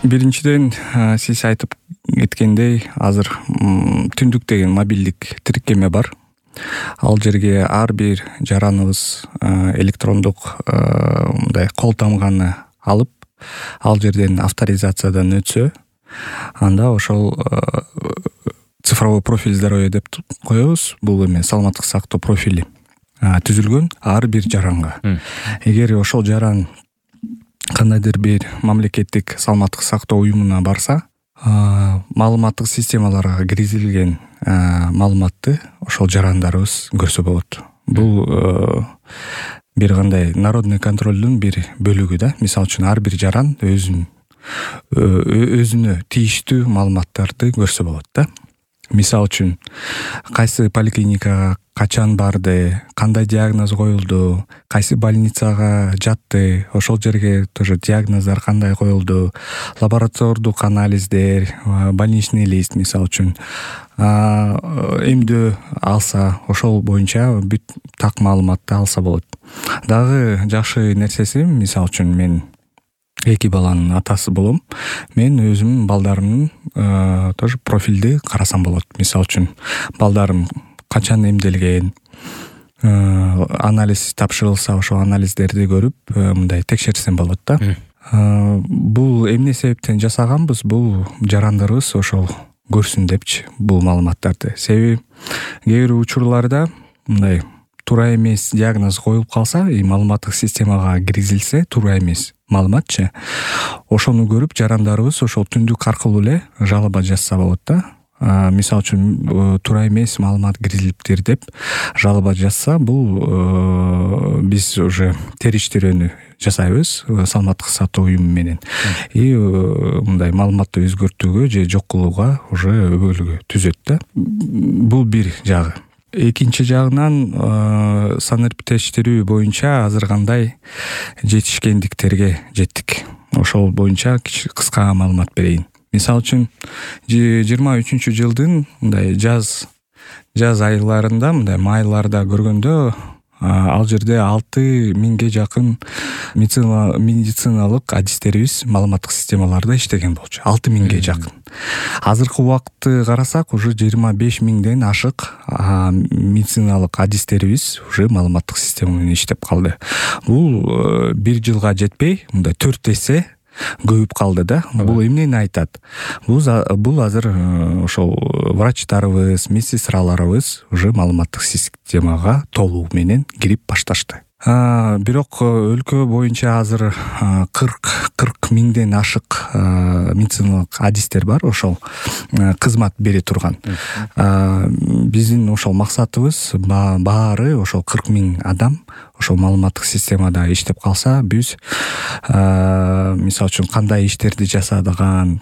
Биринчиден, сиз айтып кеткендей, азыр Түндүк деген мобилдик тиркеме бар. Ал жерге ар бир жараныбыз электрондук мындай кол тамганы алып, ал жерден авторизациядан өтсө, анда ошол цифровой профиль здоровья деп коебуз. Бул эме саламаттык сактоо профили түзүлгөн ар бир жаранга. Эгер ошол жаран кандайдыр бир мамлекеттик саламаттык сактоо уюмуна барса, маалыматтык системаларга киргизилген маалыматты ошол жарандарыбыз көрсө болот. Бул бир кандай народный контролдун бир бөлүгү да. Мисалы үчүн ар бир жаран өзүнө тийиштүү маалыматтарды көрсө болот да. Мисалы үчүн кайсы поликлиникага качан барды, кандай диагноз коюлду, кайсы больницага жатты, ошол жерге тоже диагноздар кандай коюлду, лаборатордук анализдер, больничный лист мисалы үчүн эмдөө алса, ошол боюнча бүт так маалыматты алса болот. Дагы жакшы нерсеси, мисалы үчүн мен 2 баланын атасы болом. Мен өзүмдүн балдарымдын тоже профилди карасам болот. Мисалы үчүн балдарым качан эмделген, анализ тапшырылса, ошол анализдерди көрүп, мындай текшерсем болот да. Бул эмне себептен жасаганбыз? Бул жарандарыбыз ошол көрсүн депчи бул маалыматтарды. Себеби кээ бир учурларда мындай туура эмес диагноз коюлуп калса, маалыматтык системага киргизилсе, туура эмес маалыматчы, ошону көрүп жарандарыбыз ошол Түндүк аркылуу эле жалоба жазса болот да. Мисалы үчүн туура эмес маалымат киргизилиптир деп жалоба жазса, бул биз уже териштирүүнү жасайбыз саламаттык сактоо уюму менен. Мындай маалыматты өзгөртүүгө же жок кылууга уже өбөлгө түзөт да. Бул бир жагы. Экинчи жагынан санэпидтештирүү боюнча азыр кандай жетишкендиктерге жеттик. Ошол боюнча кыска маалымат берейин. Мисалы үчүн 23-жылдын мындай жаз айларында, мындай майларда көргөндө, ал жерде 6000ге жакын медициналык адистерибиз маалыматтык системаларда иштеген болчу. 6000ге жакын. Азыркы убакытты карасак, уже 25000ден ашык медициналык адистерибиз уже маалыматтык система менен иштеп калды. Бул 1 жылга жетпей, мындай 4 эсе көбүп калды да. Бул эмнени айтат? Бул азыр ошол врачтарыбыз, медсестраларыбыз уже маалыматтык системага толугу менен кирип башташты. Бирок өлкө боюнча азыр 40 миңден ашык медициналык адистер бар, ошол кызмат бере турган. Биздин ошол максатыбыз баары ошол 40 миң адам ошол маалыматтык системада иштеп калса, биз мисалы үчүн кандай иштерди жасадыган,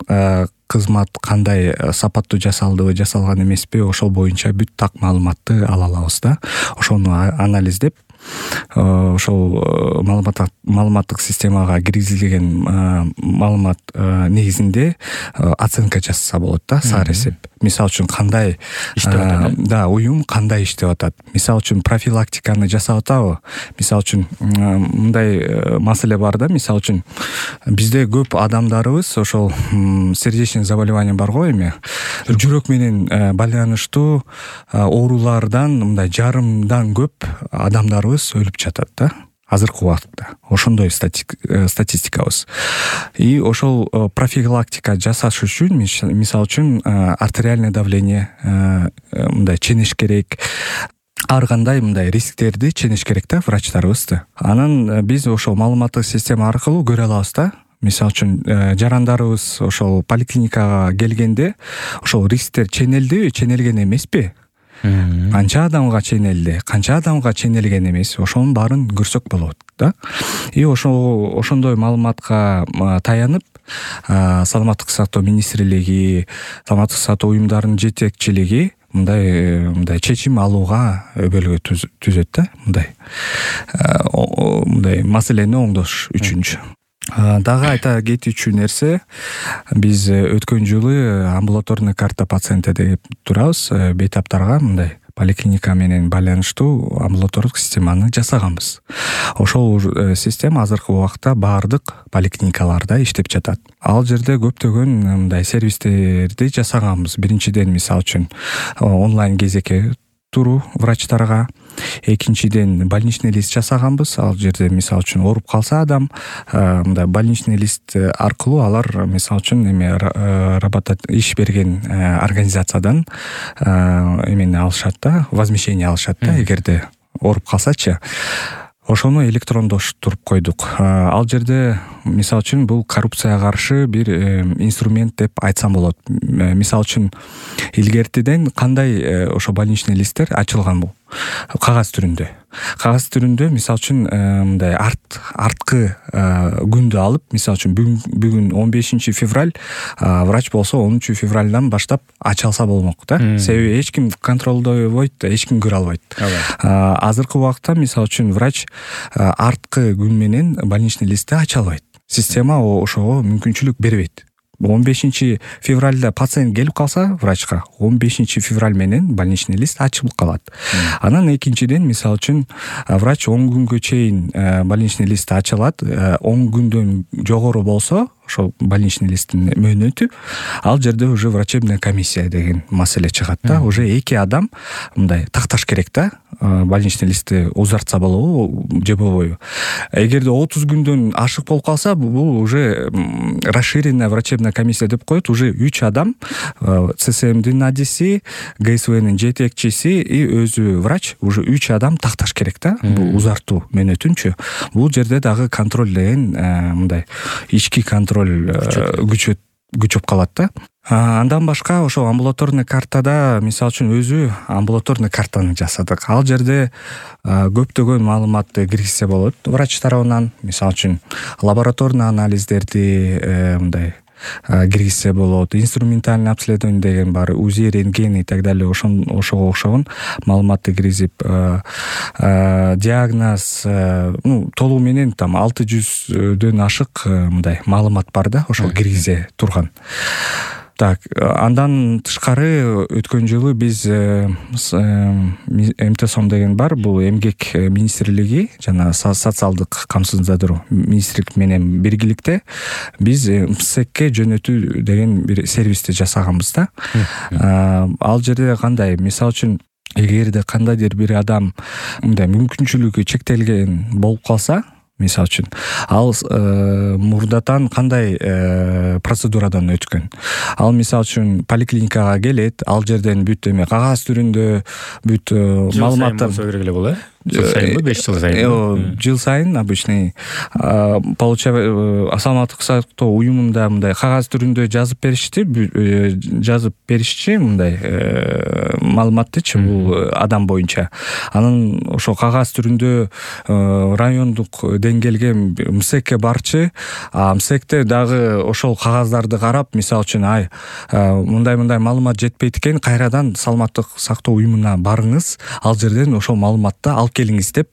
кызмат кандай сапаттуу жасалдыбы, жасалган эмеспи, ошол боюнча бүт так маалыматты ала алабыз да. Ошону анализдеп, ошол маалыматтык системага киргизилген маалымат негизинде оценка жасаса болот да, саар эсеп. Мисалы үчүн кандай иштеп атат, да, уюм кандай иштеп атат. Мисалы үчүн профилактиканы жасап атабы? Мисалы үчүн мындай маселе бар да, мисалы үчүн бизде көп адамдарыбыз ошол сердечный заболевание бар го эми, жүрөк менен байланыштуу оорулардан мындай жарымдан көп адамдарыбыз өлүп жатат да азыркы убакытта. Ошондой статистикабыз. И ошол профилактика жасаш үчүн, мисалы үчүн артериальное давление мындай ченеш керек. Ар кандай мындай рисктерди ченеш керек да врачтарыбызды. Анан биз ошол маалыматтык система аркылуу көрө алабыз да. Мисалы үчүн жарандарыбыз ошол поликлиникага келгенде ошол рисктер ченелдиби, ченелген эмеспи? Канча адамга ченелди, канча адамга ченелген эмес, ошонун баарын көрсөк болот да. И ошондой маалыматка таянып, саламаттык сактоо министрлиги, саламаттык сактоо уюмдарынын жетекчилиги мындай чечим алууга өбөлгө түзөт да, мындай маселени оңдош үчүнчү. Дагы айта кетүүчү нерсе, биз өткөн жылы амбулаторный карта пациента деп турабыз, бейтаптарга мындай поликлиника менен байланыштуу амбулатордук системаны жасаганбыз. Ошол система азыркы убакта баардык поликлиникаларда иштеп жатат. Ал жерде көптөгөн мындай сервистерди жасаганбыз. Биринчиден, мисалы үчүн, онлайн кезекке туруу врачтарга. Экинчиден, больничный лист жасаганбыз. Ал жерде, мисалы үчүн, ооруп калса адам, мындай больничный лист аркылуу алар, мисалы үчүн, иш берген организациядан эмени алышат да, возмещение алышат да, эгерде ооруп калсачы. Ошону электрондоштуруп койдук. Ал жерде, мисалы үчүн, бул коррупцияга каршы бир инструмент деп айтсам болот. Мисалы үчүн, илгертиден кандай ошо больничный листтер ачылган бул? Кагаз түрүндө. Кагаз түрүндө, мисалы үчүн, мындай арткы күндү алып, мисалы үчүн, бүгүн 15 февраль, врач болсо 10 февральдан баштап ачалса болмок да. Себеби эч ким контролдойбойт, эч ким көрө албайт. Азыркы убакта, мисалы үчүн, врач арткы күн менен больничный листти ача албайт. Система ошого мүмкүнчүлүк бербейт. 15 февральда пациент келип калса врачка, 15 февраль менен больничный лист ачылып калат. Анан экинчиден, мисалы үчүн, врач 10 күнгө чейин больничный лист ачылат. 10 күндөн жогору болсо, ошол больничный листтин мөөнөтү, ал жерде уже врачебная комиссия деген маселе чыгат да. Уже 2 адам мындай такташ керек да, больничный листти узартса болобу же болбойбу. Эгерде 30 күндөн ашык болуп калса, бул уже расширенная врачебная комиссия деп коет. Уже 3 адам, ЦСМдин адиси, ГСВнин жетекчиси и өзү врач, уже 3 адам такташ керек да, бул узартуу мөөнөтүнчү. Бул жерде дагы контроль деген мындай ички контроль күчөп калат да. Андан башка ошо амбулаторный картада, мисалы үчүн, өзү амбулаторный картаны жасадык. Ал жерде көптөгөн маалыматты киргизсе болот врач тарабынан. Мисалы үчүн, лабораторный анализдерди мындай киргизсе болот, инструментальный обследование деген бар, УЗИ, рентген и так далее, ошого окшогон маалыматты киргизип, диагноз, толугу менен там 600дөн ашык мындай маалымат бар да, ошол киргизе турган. Так, андан тышкары өткөн жылы биз МТСОМ деген бар, бул эмгек министрлиги жана социалдык камсыздандыруу министрлик менен биргиликте биз МСЭКке жөнөтүү деген бир сервисти жасаганбыз да. Ал жерде кандай, мисалы үчүн, эгерде кандайдыр бир адам мындай мүмкүнчүлүгү чектелген болуп калса, мисалы үчүн, ал мурдатан кандай процедурадан өткөн. Ал, мисалы үчүн, поликлиникага келет, ал жерден бүт кагаз түрүндө бүт маалыматтар болсо керек эле болот, жыл сайынбы, 5 жыл сайын? Жыл сайын обычный саламаттык сактоо уюмунда мындай кагаз түрүндө жазып беришчи мындай маалыматтычы, бул адам боюнча. Анан ошо кагаз түрүндө райондук деңгээлге МСЭКке барчы, МСЭКте дагы ошол кагаздарды карап, мисалы үчүн, мындай маалымат жетпейт экен, кайрадан саламаттык сактоо уюмуна барыңыз, ал жерден ошол маалыматты алып келиңиз деп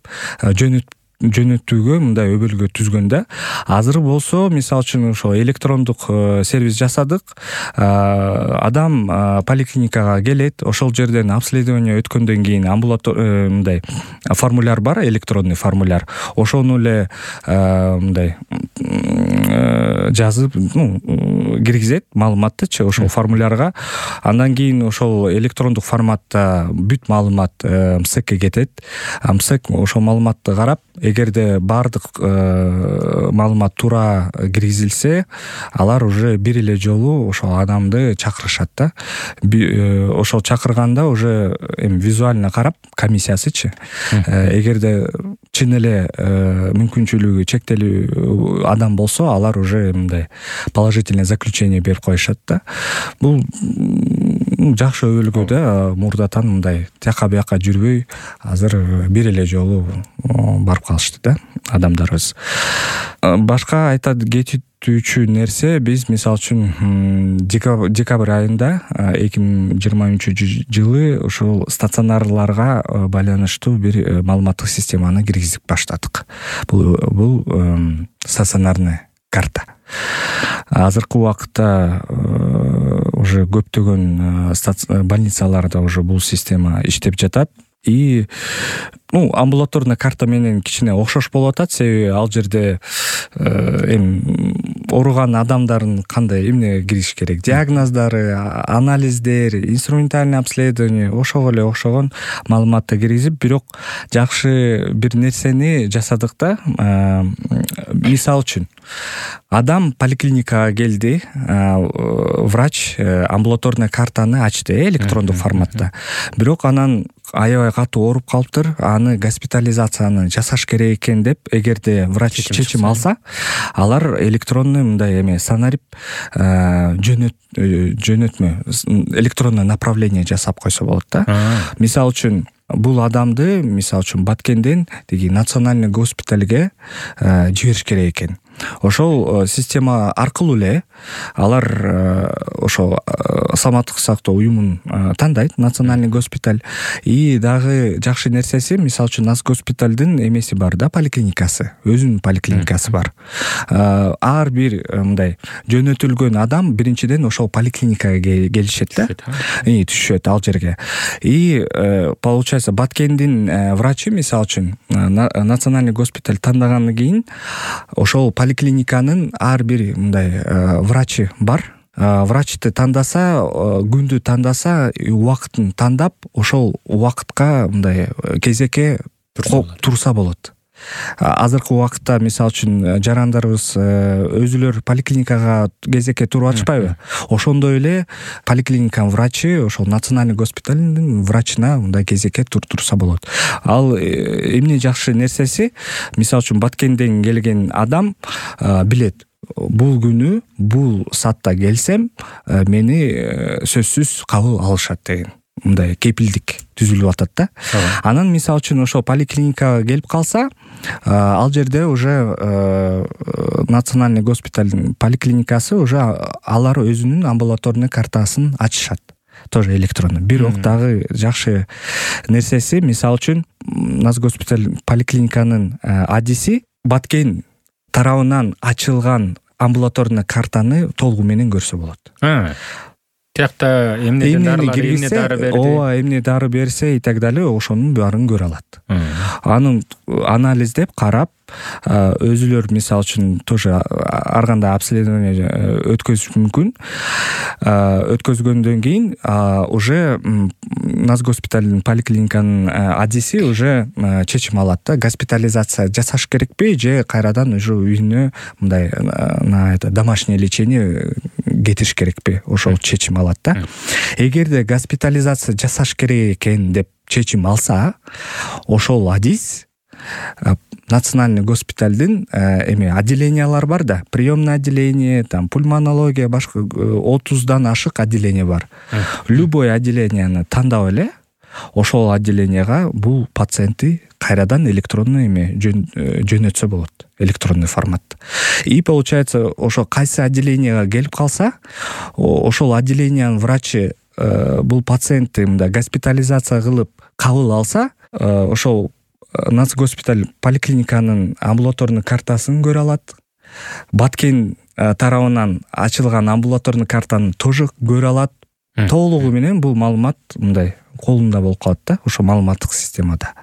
жөнөтүүгө мындай өбөлгө түзгөн да. Азыр болсо, мисалы үчүн, ошо электрондук сервис жасадык. Адам поликлиникага келет, ошол жерден обследование өткөндөн кийин мындай формуляр бар, электронный формуляр. Ошону эле мындай жазып, киргизет маалыматтычы ошол формулярга. Андан кийин ошол электрондук форматта бүт маалымат МСЭКке кетет. МСЭК ошол маалыматты карап, эгерде баардык маалымат туура киргизилсе, алар уже бир эле жолу ошол адамды чакырышат да. Ошол чакырганда уже визуально карап, комиссиясычы, эгерде чын эле мүмкүнчүлүгү чектелүү адам болсо, алар уже мындай положительное заключение берип коюшат да. Бул жакшы өбөлгө да, мурдатан мындай тияка бияка жүрбөй, азыр бир эле жолу барып калышты да адамдарыбыз. Башка айта кетүүчү нерсе, биз, мисалы үчүн, декабрь айында 2023 ушул стационарларга байланыштуу бир маалыматтык системаны киргизип баштадык. Бул стационарный карта. Азыркы убакытта уже көптөгөн больницаларда уже бул система иштеп жатат. И амбулаторный карта менен кичине окшош болуп атат, себеби ал жерде эми ооруган адамдардын кандай эмне кириш керек, диагноздору, анализдер, инструментальный обследование ошого эле окшогон маалыматты киргизип, бирок жакшы бир нерсени жасадык да. Мисалы үчүн адам поликлиникага келди, врач амбулаторный картаны ачты электрондук форматта. Бирок анан аябай катуу ооруп калыптыр, аны госпитализацияны жасаш керек экен деп, эгерде врач чечим алса, алар электронный мындай эме сценарий жөнөтмө электронный направление жасап койсо болот да. Мисалы үчүн бул адамды, мисалы үчүн Баткенден деги национальный госпитальге жибериш керек экен. Ошол система аркылуу эле алар ошол саламаттык сактоо уюмун тандайт, национальный госпиталь. И дагы жакшы нерсеси, мисалы үчүн Наз госпиталдын эмеси бар да, поликлиникасы, өзүнүн поликлиникасы бар. Ар бир мындай жөнөтүлгөн адам биринчиден ошол поликлиникага келишет да, түшөт ал жерге. И получается Баткендин врачы, мисалы үчүн национальный госпиталь тандагандан кийин ошол поликлиниканын ар бир мындай врачы бар. Врачты тандаса, күндү тандаса, убакытын тандап, ошол убакытка мындай кезекке турса болот. Азыркы убакытта мисалы үчүн жарандарыбыз өзүлөр поликлиникага кезекке туруп атышпайбы? Ошондой эле поликлиниканын врачы ошол национальный госпиталдын врачына мындай кезекке турса болот. Ал эмне жакшы нерсеси, мисалы үчүн Баткенден келген адам билет, бул күнү бул саатта келсем мени сөзсүз кабыл алышат деген мындай кепилдик түзүлүп атат да. Анан мисалы үчүн ошол поликлиникага келип калса, ал жерде уже национальный госпиталдын поликлиникасы уже алар өзүнүн амбулаторный картасын ачышат. Тоже электронный. Бирок дагы жакшы нерсеси, мисалы үчүн Наз госпиталь поликлиниканын адиси Баткен тарабынан ачылган амбулаторный картаны толугу менен көрсө болот. Тиякта эмне дары берди, эмне дары берсе и так далее, ошонун баарын көрө алат. Анын анализдеп карап, өзүлөр мисалы үчүн тоже ар кандай обследование өткөзүш мүмкүн. Өткөзгөндөн кийин уже Наз госпиталдын поликлиниканын адиси уже чечим алат да, госпитализация жасаш керекпи же кайрадан уже үйүнө мындай домашнее лечение кетиш керекпи, ошол чечим алат да. Эгерде госпитализация жасаш керек экен деп чечим алса, ошол адис национальный госпиталдын отделениялар бар да, приемный отделение, там пульмонология, башка 30дан ашык отделение бар. Любой отделенияны тандап эле ошол отделенияга бул пациентти кайрадан электронный жөнөтсө болот, электронный формат. И получается, ошол кайсы отделенияга келип калса, ошол отделениянын врачы бул пациентти мындай госпитализация кылып кабыл алса, ошол Наз госпиталь поликлиниканын амбулаторный картасын көрө алат. Баткен тарабынан ачылган амбулаторный картаны тоже көрө алат. Толугу менен бул маалымат мындай колунда болуп калат да, ошо маалыматтык системада.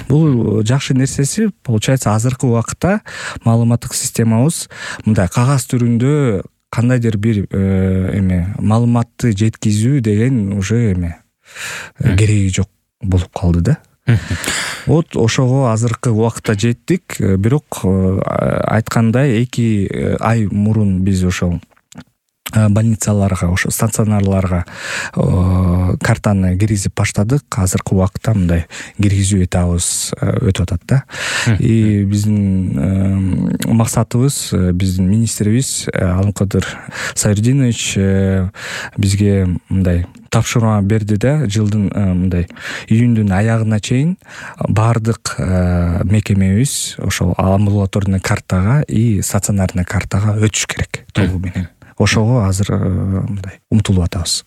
Бул жакшы нерсеси, получается, азыркы убакытта маалыматтык системабыз мындай кагаз түрүндө кандайдыр бир маалыматты жеткизүү деген уже кереги жок болуп калды да. Вот ошого азыркы убакытта жеттик, бирок айткандай 2 ай мурун биз ошол больницаларга, ошо стационарларга картаны киргизип баштадык. Азыркы убакытта мындай киргизүү этабыбыз өтүп атат да. И биздин максатыбыз, биздин министрибиз Алымкадыр Сайырдинович бизге мындай тапшырма берди да, жылдын мындай июндүн аягына чейин баардык мекемебиз ошол амбулаторный картага и стационарный картага өтүш керек толугу менен. Ошого азыр мындай умтулуп атабыз.